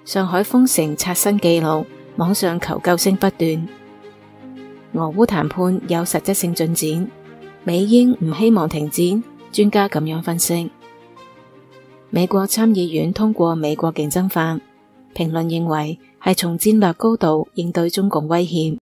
上海封城刷新紀錄，網上求救聲不斷。俄烏談判有實質性進展，美英唔希望停戰，專家咁樣分析。美國參議院通過美國競爭法，評論認為係從戰略高度應對中共威脅。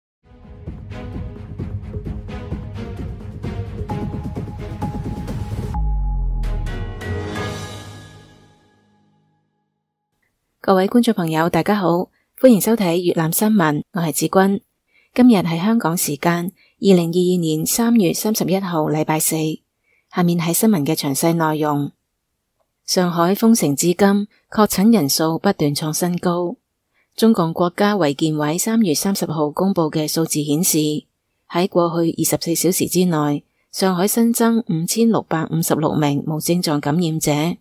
各位觀眾朋友，大家好，歡迎收睇粵覽新聞，我係子君。今日係香港時間2022年3月31號禮拜四。下面係新聞嘅詳細內容。上海封城至今，確診人數不斷創新高。中共國家衛健委3月30號公布嘅數字顯示，喺過去24小時之內，上海新增5656名無症狀感染者，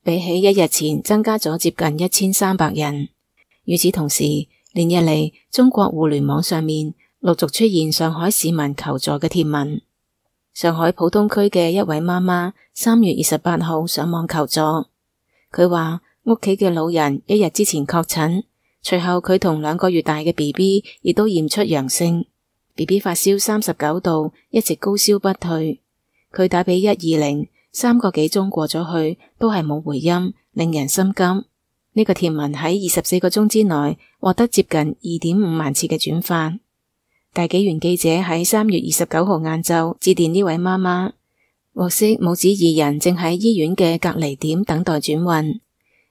比起一日前增加咗接近1300人。與此同時，連日嚟中國互聯網上面陸續出現上海市民求助嘅帖文。上海浦東區嘅一位媽媽3月28號上網求助，佢話屋企嘅老人一日之前確診，隨後佢同2個月大嘅 BB 亦都驗出陽性，BB 發燒39度，一直高燒不退。佢打俾120，3個幾鐘過咗去，都係冇回音，令人心急。呢個帖文喺24個鐘之內獲得接近2.5萬次嘅轉發。大紀元記者喺3月29號晏晝致電呢位媽媽，獲悉母子2人正喺醫院嘅隔離點等待轉運。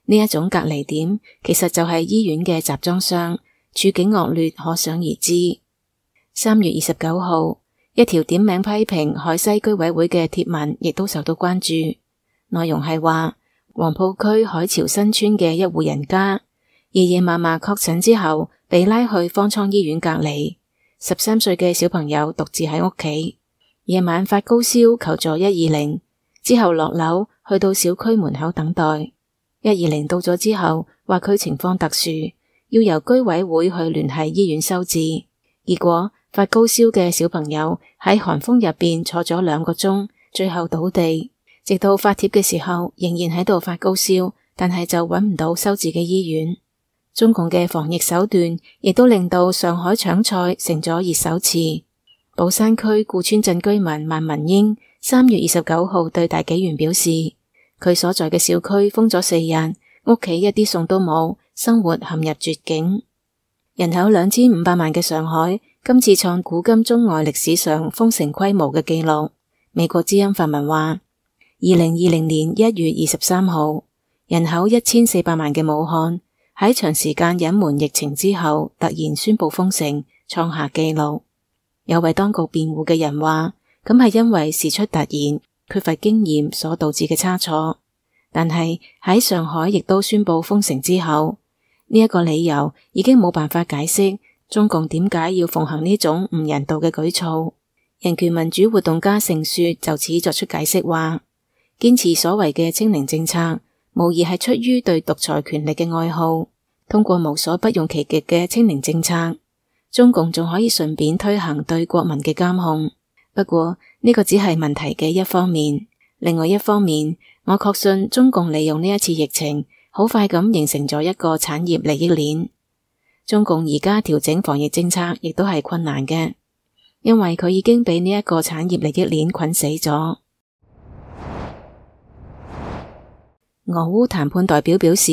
呢一種隔離點其實就係醫院嘅集裝箱，處境惡劣可想而知。3月29號，一條點名批評海西居委會嘅帖文亦都受到關注，內容係話黃埔區海潮新村嘅一戶人家，爺爺嫲嫲確診之後被拉去方艙醫院隔離，13歲嘅小朋友獨自喺屋企，夜晚發高燒求助120，之後落樓去到小區門口等待，120到咗之後話佢情況特殊，要由居委會去聯繫醫院收治，結果發高燒嘅小朋友喺寒風入邊坐咗2個鐘，最後倒地，直到發帖嘅時候仍然喺度發高燒，但係就揾唔到收治嘅醫院。中共嘅防疫手段亦都令到上海搶菜成咗熱手詞。寶山區顧村鎮居民萬文英3月29號對大紀元表示，佢所在嘅小區封咗4日，屋企一啲餸都冇，生活陷入絕境。人口2500萬嘅上海，今次創古今中外歷史上封城規模嘅紀錄。美國之音發文話，2020年1月23號，人口1400萬嘅武漢，喺長時間隱瞞疫情之後，突然宣布封城，創下紀錄。有為當局辯護嘅人話，咁係因為事出突然，缺乏經驗所導致嘅差錯。但係喺上海亦都宣布封城之後，呢一個理由已經冇辦法解釋中共點解要奉行呢種唔人道嘅舉措。人權民主活動家盛雪就此作出解釋話，堅持所謂嘅清零政策，無疑係出於對獨裁權力嘅愛好。通過無所不用其極嘅清零政策，中共仲可以順便推行對國民嘅監控。不過呢個只係問題嘅一方面，另外一方面，我確信中共利用呢一次疫情，好快咁形成咗一個產業利益鏈。中共而家調整防疫政策亦都係困難嘅，因為佢已經俾呢一個產業利益鏈捆死咗。俄烏談判代表表示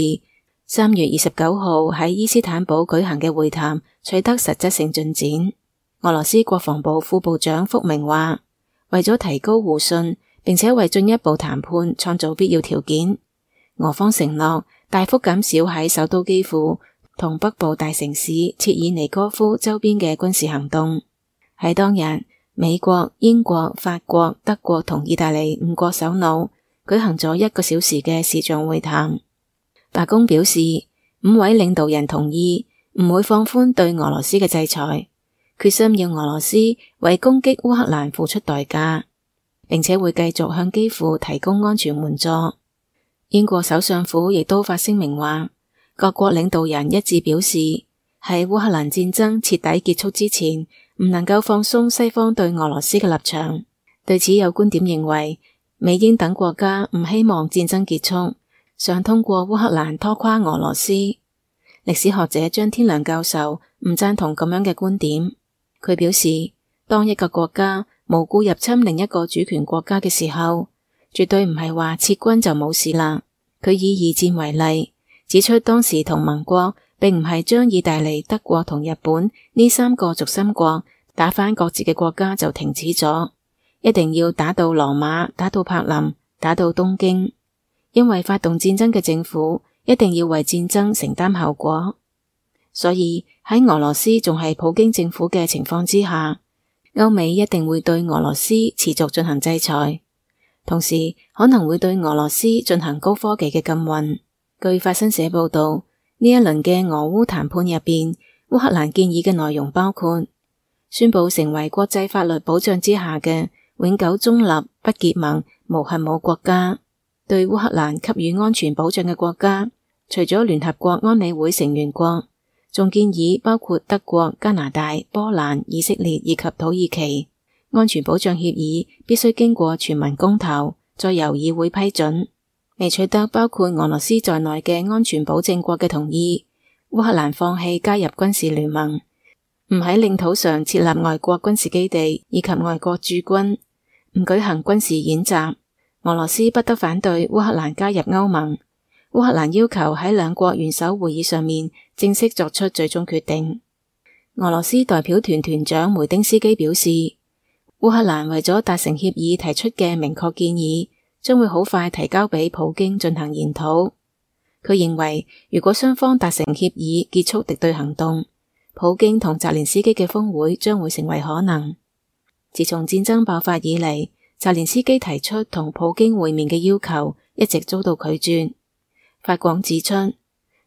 ，3月29號喺伊斯坦堡舉行嘅會談取得實質性進展。俄羅斯國防部副部長福明話，為咗提高互信，並且為進一步談判創造必要條件，俄方承諾大幅減少喺首都基輔同北部大城市切爾尼戈夫周邊嘅軍事行動。喺當日，美國、英國、法國、德國同意大利5國首腦舉行咗1個小時嘅視像會談。白宮表示，5位領導人同意唔會放寬對俄羅斯嘅制裁，決心要俄羅斯為攻擊烏克蘭付出代價，並且會繼續向基輔提供安全援助。英國首相府亦都發聲明話，各國領導人一致表示，喺烏克蘭戰爭徹底結束之前，唔能夠放鬆西方對俄羅斯嘅立場。對此有觀點認為，美英等國家唔希望戰爭結束，想通過烏克蘭拖垮俄羅斯。歷史學者張天良教授唔贊同咁樣嘅觀點。佢表示，當一個國家無故入侵另一個主權國家嘅時候，絕對唔係話撤軍就冇事啦。佢以二戰為例，指出當時同盟國並唔係將意大利、德國同日本呢三個軸心國打返各自嘅國家就停止咗，一定要打到羅馬、打到柏林、打到東京，因為發動戰爭嘅政府一定要為戰爭承擔後果。所以喺俄羅斯仲係普京政府嘅情況之下，歐美一定會對俄羅斯持續進行制裁，同時可能會對俄羅斯進行高科技嘅禁運。據法新社報道，呢一輪嘅俄烏談判入邊，烏克蘭建議嘅內容包括宣布成為國際法律保障之下嘅永久中立、不結盟、無核武國家。對烏克蘭給予安全保障嘅國家，除咗聯合國安理會成員國，仲建議包括德國、加拿大、波蘭、以色列以及土耳其。安全保障協議必須經過全民公投，再由議會批准。未取得包括俄羅斯在內嘅安全保證國嘅同意，烏克蘭放棄加入軍事聯盟，唔喺領土上設立外國軍事基地以及外國駐軍，唔舉行軍事演習。俄羅斯不得反對烏克蘭加入歐盟。烏克蘭要求喺兩國元首會議上面正式作出最終決定。俄羅斯代表團團長梅丁斯基表示，烏克蘭為咗達成協議提出嘅明確建議，將會好快提交俾普京進行研討。佢認為，如果雙方達成協議結束敵對行動，普京同澤連斯基嘅峰會將會成為可能。自從戰爭爆發以嚟，澤連斯基提出同普京會面嘅要求一直遭到拒絕。法廣指出，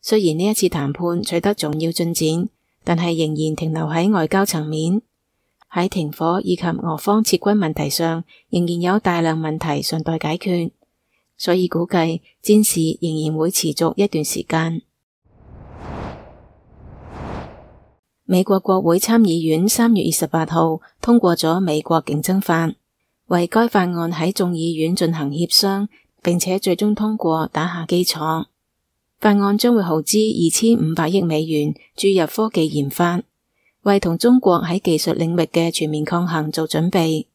雖然呢一次談判取得重要進展，但係仍然停留喺外交層面。喺停火以及俄方撤軍問題上，仍然有大量問題尚待解決，所以估計戰事仍然會持續一段時間。美國國會參議院3月28號通過咗美國競爭法，為該法案喺眾議院進行協商，並且最終通過打下基礎。法案將會耗資2500億美元注入科技研發，為同中國喺技術領域嘅全面抗衡做準備。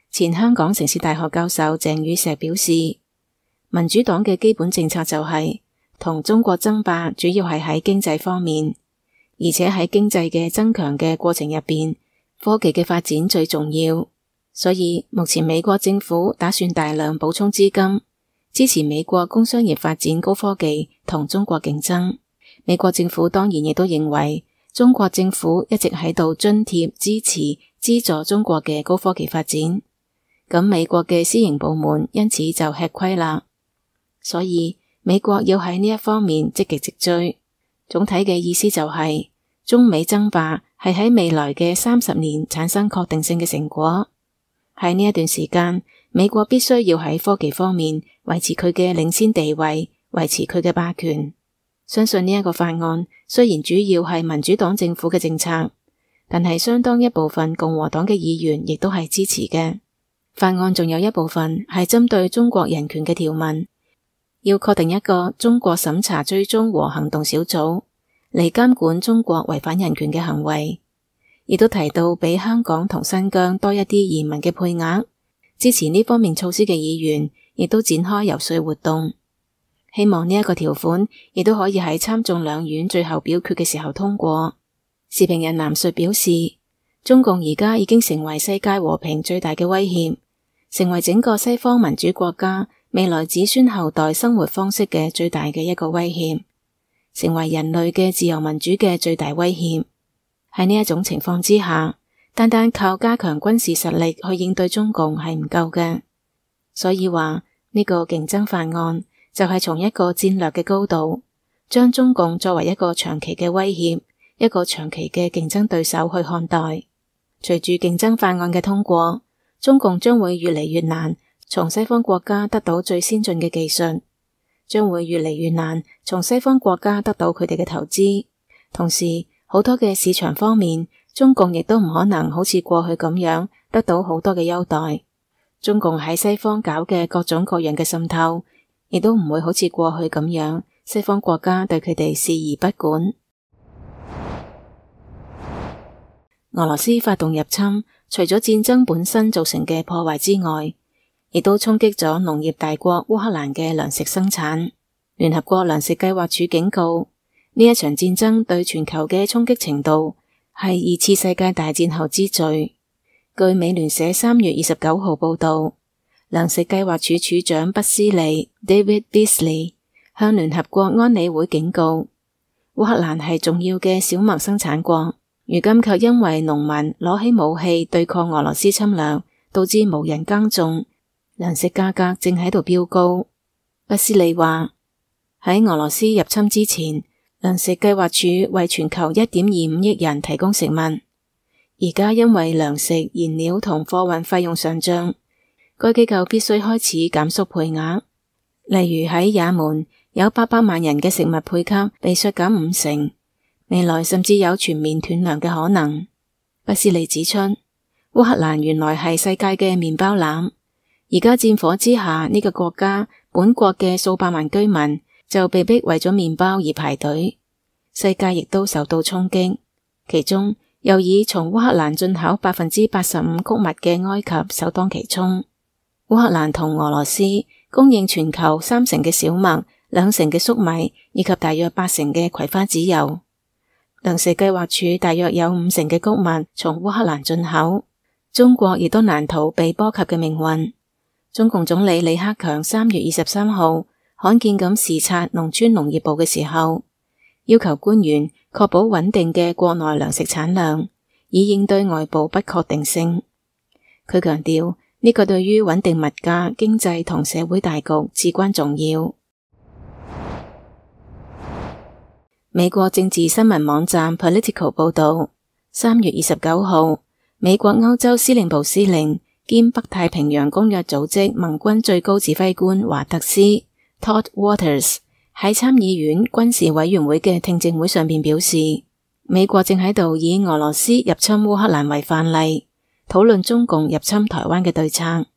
前香港城市大學教授鄭宇碩表示，民主黨嘅基本政策就係同中國爭霸，主要係喺經濟方面，而且喺經濟嘅增強嘅過程入邊，科技嘅發展最重要。所以目前美國政府打算大量補充資金，支持美國工商業發展高科技同中國競爭。美國政府當然亦都認為，中國政府一直喺度津貼、支持、資助中國嘅高科技發展，咁美國嘅私營部門因此就吃虧啦。所以美國要喺呢一方面積極直追。總體嘅意思就係，中美爭霸係喺未來嘅30年產生確定性嘅成果。喺呢一段時間，美國必須要喺科技方面維持佢嘅領先地位，維持佢嘅霸權。相信呢一個法案雖然主要係民主黨政府嘅政策，但係相當一部分共和黨嘅議員亦都係支持嘅。法案仲有一部分係針對中國人權嘅條文，要確定一個中國審查追蹤和行動小組嚟監管中國違反人權嘅行為，亦都提到俾香港同新疆多一啲移民嘅配額。支持呢方面措施嘅議員亦都展開游說活動，希望呢一個條款亦都可以喺參眾兩院最後表決嘅時候通過。時評人藍述表示，中共而家已經成為世界和平最大嘅威脅，成為整個西方民主國家未來子孫後代生活方式嘅最大嘅一個威脅，成為人類嘅自由民主嘅最大威脅。喺呢一種情況之下，單單靠加強軍事實力去應對中共係唔夠嘅，所以話呢個競爭法案就係從一個戰略嘅高度，將中共作為一個長期嘅威脅，一個長期嘅競爭對手去看待。隨住競爭法案嘅通過，中共將會越嚟越難從西方國家得到最先進嘅技術，將會越嚟越難從西方國家得到佢哋嘅投資，同時好多嘅市場方面，中共亦都唔可能好似過去咁樣得到好多嘅優待。中共喺西方搞嘅各種各樣嘅滲透，亦都唔會好似過去咁樣，西方國家對佢哋視而不管。俄羅斯發動入侵，除咗戰爭本身造成嘅破壞之外，亦都衝擊咗農業大國烏克蘭嘅糧食生產。聯合國糧食計劃署警告，呢一場戰爭對全球嘅衝擊程度係2次世界大戰後之最。據美聯社3月29號報道，糧食計劃署署長畢斯利 David Beasley 向聯合國安理會警告，烏克蘭係重要嘅小麥生產國，如今卻因為農民攞起武器對抗俄羅斯侵略，導致無人耕種，糧食價格正喺度飆高。畢斯利話，喺俄羅斯入侵之前，糧食計劃署為全球 1.25 億人提供食物，而家因為糧食、燃料同貨運費用上漲，該機構必須開始減縮配額。例如喺也門，有800萬人嘅食物配給被削減50%，未來甚至有全面斷糧嘅可能。畢斯利指出，烏克蘭原來係世界嘅麵包籃，而家戰火之下，呢個國家本國嘅數百萬居民就被逼為咗麵包而排隊，世界亦都受到衝擊，其中又以從烏克蘭進口85%穀物嘅埃及首當其衝。烏克蘭同俄羅斯供應全球30%嘅小麥、2%嘅粟米以及大約80%嘅葵花籽油。糧食計劃署大約有50%嘅穀物從烏克蘭進口。中國亦都難逃被波及嘅命運。中共總理李克強3月23號罕見咁視察農村農業部嘅時候，要求官員確保穩定嘅國內糧食產量，以應對外部不確定性。佢強調，呢個對於穩定物價、經濟同社會大局至關重要。美國政治新聞網站 Politico 報道，3月29號，美國歐洲司令部司令兼北太平洋公約組織盟軍最高指揮官華特斯 Todd Waters 喺參議院軍事委員會嘅聽證會上邊表示，美國正喺度以俄羅斯入侵烏克蘭為範例，討論中共入侵台灣嘅對策。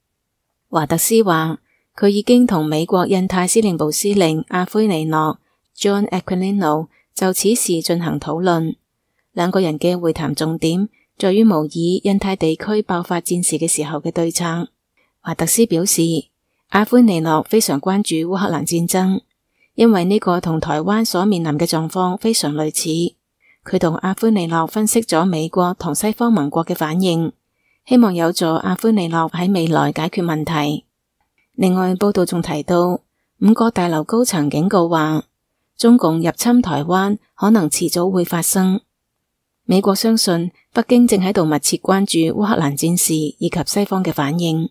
華特斯話，佢已經同美國印太司令部司令阿奎尼諾 John Aquilino 就此事進行討論。兩個人嘅會談重點在於模擬印太地區爆發戰事嘅時候嘅對策。華特斯表示，阿奎尼諾非常關注烏克蘭戰爭，因為呢個同台灣所面臨嘅狀況非常類似。佢同阿奎尼諾分析咗美國同西方盟國嘅反應，希望有助阿奎尼諾喺未來解決問題。另外，報道仲提到5個大樓高層警告話，中共入侵台灣可能遲早會發生。美國相信北京正喺度密切關注烏克蘭戰事以及西方嘅反應。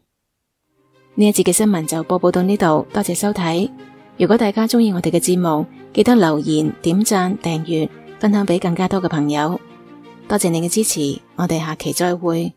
呢一節嘅新聞就播報到呢度，多謝收睇。如果大家鍾意我哋嘅節目，記得留言、點讚、訂閱、分享俾更加多嘅朋友。多謝你嘅支持，我哋下期再會。